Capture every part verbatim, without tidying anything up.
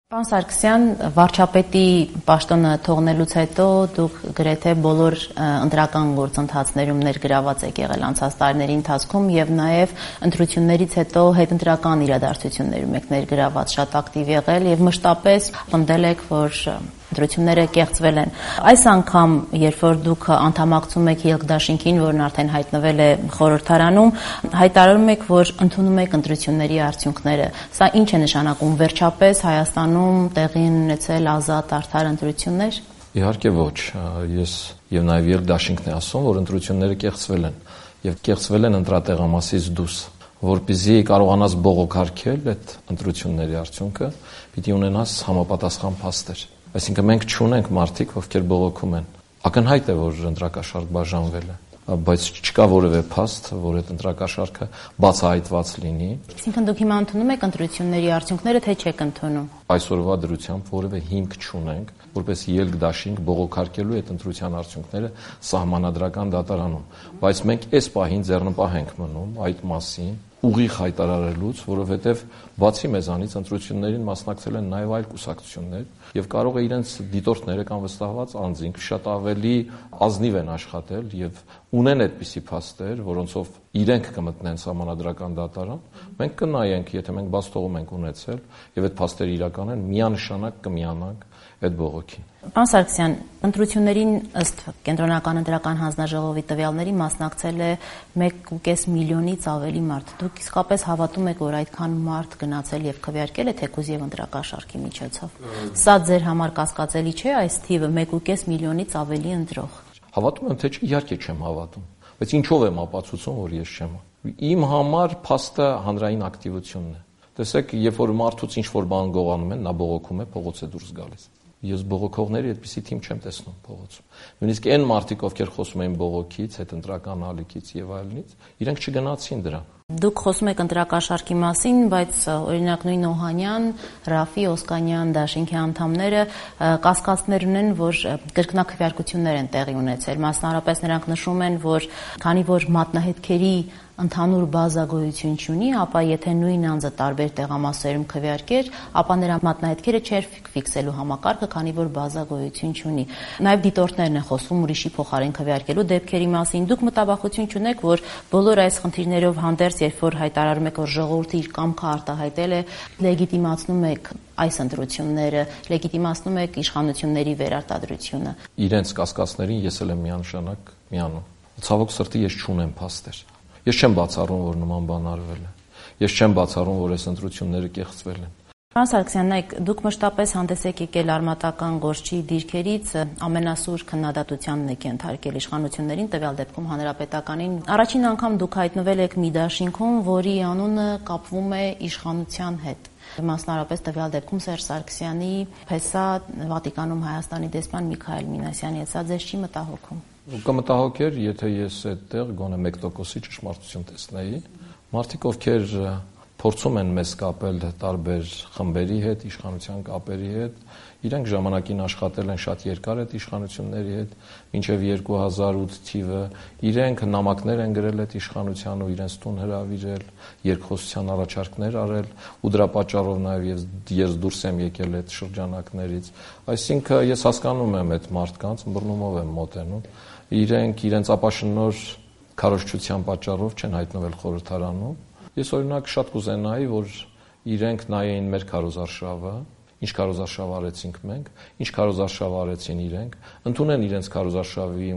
Պարոն Սարգսյան, վարչապետի պաշտոնը թողնելուց հետո դուք գրեթե բոլոր ընտրական գործընթացներում ներգրաված եք եղել անցած տարիների ընթացքում եւ նաեւ ընտրություններից հետո հետընտրական իրադարձություններում եք ներգրաված, շատ ակտիվ եղել եւ մշտապես պնդել եք, որ ընտրությունները կեղծվել են։ Այս անգամ, երբ որ դուք անդամակցում եք Ելք դաշինքին, որն արդեն հայտնվել է խորհրդարանում, հայտարարում եք, որ ընդունում եք ընտրությունների արդյունքները։ Սա ինչ է նշանակում, վերջապես Հայաստանում տեղի են ունեցել ազատ արդար ընտրություններ։ Իհարկե ոչ, ես եւ նաեւ Ելք դաշինքն է ասում, որ ընտրությունները կեղծվել են եւ կեղծվել են ընտրատեղամասից դուրս, որպեսզի կարողանաս բողոքարկել այդ ընտրությունների արդյունքը, պիտի ունենաս համապատասխան փաստեր։ Այսինքն մենք չունենք մարդիկ, ովքեր բողոքում են։ Ակնհայտ է, որ ընտրակաշարք բաժանվել է, բայց չկա որևէ փաստ, որ այդ ընտրակաշարքը բացահայտված լինի։ Այսինքն դուք հիմա ընդունում եք ընտրությունների արդյունքները, թե չեք ընդունում։ Այսօրվա դրությամբ որևէ հիմք չունենք, որպես Ելք դաշինք բողոքարկելու այդ ընտրության արդյունքները սահմանադրական դատարանում, բայց մենք այս պահին ձեռնպահ ենք մնում այդ մասին ուղիղ հայտարարելուց, որովհետև բացի մեզանից ընտրություններին մասնակցել են նաև այլ կուսակցություններ եւ կարող է իրենց դիտորդները կամ վստահված անձինք շատ ավելի ազնիվ են աշխատել եւ ունեն այդպիսի փաստեր, որոնցով իրենք կմտնեն սահմանադրական դատարան, մենք կնայենք, եթե մենք բաց թողում ենք ունեցել եւ այդ փաստերը իրական են, միանշանակ կմիանանք այդ բողոքին։ Պարոն Սարգսյան, ընտրություններին ըստ Կենտրոնական ընտրական հանձնաժողովի տվյալների մասնակցել է մեկ ու կես միլիոնից ավելի մարդ։ Դուք իսկապես հավատում եք, որ այդքան մարդ գնացել եւ քվեարկել է թեկուզ եւ ընտրակաշարքի միջոցով։ Սա ձեր համար կասկածելի չէ, այս թիվը մեկ ու կես միլիոնից ավելի ընտրող։ Հավատում եմ, թե չէ, իհարկե չեմ հավատում, բայց ինչով եմ ապացուցում, որ ես չեմ։ Իմ համար փաստը հանրային ակտիվությունն է։ Տեսեք, երբ որ մարդուց ինչ-որ բան գողանում են, նա բողոքում է, փողոց է դուրս գալիս։ Ես բողոքողների այդպիսի թիմ չեմ տեսնում փողոցում։ Նույնիսկ այն մարդիկ, ովքեր խոսում են բողոքից, հետընտրական ալիքից եւ այլնից, իրենք չգնացին դրան։ Դուք խոսում եք ընտրակաշարքի մասին, բայց օրինակ նույն Օհանյան, Ռաֆի, Օսկանյան դաշինքի անդամները կասկածներ ունեն, որ կրկնակվեարկություններ են տեղի ունեցել։ Մասնավորապես նրանք նշում են, որ քանի որ մատնահետքերի ընդհանուր բազա գոյություն չունի, ապա եթե նույն անձը տարբեր տեղամասերում քվեարկեր, ապա նրա մատնահետքերը չէր ֆիքսելու համակարգը, քանի որ բազա գոյություն չունի։ Նաև դիտորդներն են խոսում ուրիշի փոխարեն քվեարկելու դեպքերի մասին։ Դուք մտավախություն չունեք, որ բոլոր այս խնդիրներով հանդերձ, երբ որ հայտարարում եք, որ ժողովուրդը իր կամքը արտահայտել է, լեգիտիմացնում եք այս ընտրությունները, լեգիտիմացնում եք իշխանությունների վերարտադրությունը։ Իրենց կասկածներին ես էլ եմ միանշանակ միանում։ Ցավոք սրտի ես չունեմ փաստեր։ Ես չեմ բացառում, որ նման բան արվել է։ Ես չեմ բացառում, որ այս ընտրությունները կեղծվել են։ Պարոն Սարգսյան, նայեք, դուք մշտապես հանդես եք եկել արմատական գործչի դիրքերից ամենասուր քննադատությանն եք ենթարկել իշխանություններին, տվյալ դեպքում հանրապետականին։ Առաջին անգամ դուք հայտնվել եք մի դաշինքում, որի անունը կապվում է իշխանության հետ։ Մասնավորապես տվյալ դեպքում Սերժ Սարգսյանի փեսա Վատիկանում Հայաստանի դեսպան Միքայել Մինասյանի հետ, սա ձեզ չի մտահոգում։ Կմտահոգեր, եթե ես այդտեղ գոնե մեկ տոկոսի ճշմարտություն տեսնեի։ Մարդիկ, ովքեր փորձում են մեզ կապել տարբեր խմբերի հետ, իշխանության կապերի հետ, իրենք ժամանակին աշխատել են շատ երկար այդ իշխանությունների հետ, մինչև երկու հազար ութ թիվը, իրենք նամակներ են գրել այդ իշխանության ու իրենց տուն հրավիրել, երկխոսության առաջարկներ արել, ու դրա պատճառով նաև ես դուրս եմ եկել այդ շրջանակներից։ Այսինքն ես հասկանում եմ այդ մարդկանց, բռնումով եմ մոտենում, իրենք իրենց ապաշնոր քարոզչության պատճառով չեն հայտնվել խորհրդարանում։ Ես օրինակ շատ կուզենայի, որ իրենք նայեին մեր քարոզարշավը, ինչ քարոզարշավ արեցինք մենք, ինչ քարոզարշավ արեցին իրենք, ընդունեն իրենց քարոզարշավի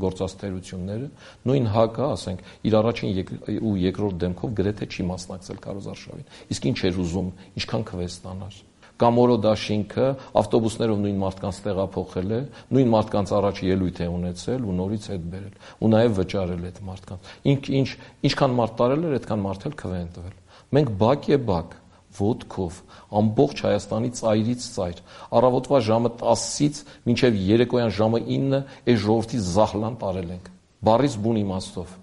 գործած թերությունները, նույն ՀԱԿ-ը, ասենք, իր առաջին ու երկրորդ դեմքով գրեթե չի մասնակցել քարոզարշավին։ Իսկ ինչ էր ուզում, ինչքան քվե ստանար։ Կամորո դաշինքը ավտոբուսներով նույն մարդկանց տեղափոխել է, նույն մարդկանց առաջ ելույթ է ունեցել ու նորից հետ բերել, ու նաև վճարել այդ մարդկանց։ Ինչ ինչ ինչքան մարդ տարել էր, այդքան մարդ էլ քվե են տվել։ Մենք բակ է բակ, ոտքով, ամբողջ Հայաստանի ծայրից ծայր, առավոտվա ժամը տասից մինչև երեկոյան ժամը ինը այս ժողովրդի զահլան տարել ենք։ Բարից բուն իմաստով,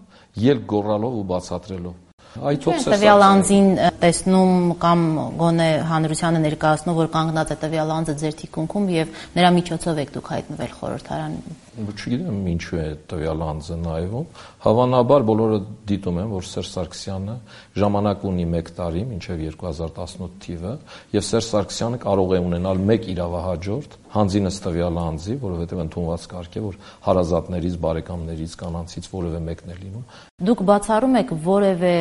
ելք գոռալով ու բացատրելով։ Տվյալ անձին տեսնում կամ գոնե հանրությանը ներկայացնում, որ կանգնած է տվյալ անձը ձեր թիկունքում եւ նրա միջոցով եք դուք հայտնվել խորհրդարան։ Չգիտեմ ինչու է տվյալ անձը նայվում։ Հավանաբար բոլորը դիտում են, որ Սերժ Սարգսյանը ժամանակ ունի մեկ տարի, մինչև երկու հազար տասնութ թիվը, եւ Սերժ Սարգսյանը կարող է ունենալ մեկ իրավահաջորդ հանձինս տվյալ անձի, որովհետեւ ընդունված կարգ է, որ հարազատներից, բարեկամներից, կանանցից որևէ մեկն է լինում։ Դուք բացառում եք որևէ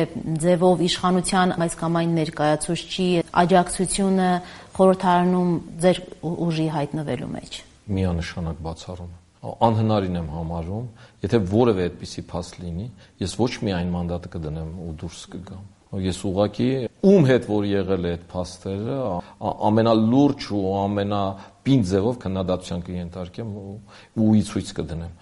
ձևով իշխանության այս կամ այն ներկայացուցչի աջակցությունը խորհրդարանում ձեր ուժի հայտնվելու մեջ։ Միանշանակ բացառում եմ։ Անհնարին եմ համարում, եթե որևէ այդպիսի փաստ լինի, ես ոչ միայն մանդատը կդնեմ ու դուրս կգամ։ Ես ուղղակի ում հետ որ եղել է այդ փաստերը, ամենալուրջ ու ամենապինդ ձևով քննադատության կենթարկեմ ու ի ցույց կդնեմ։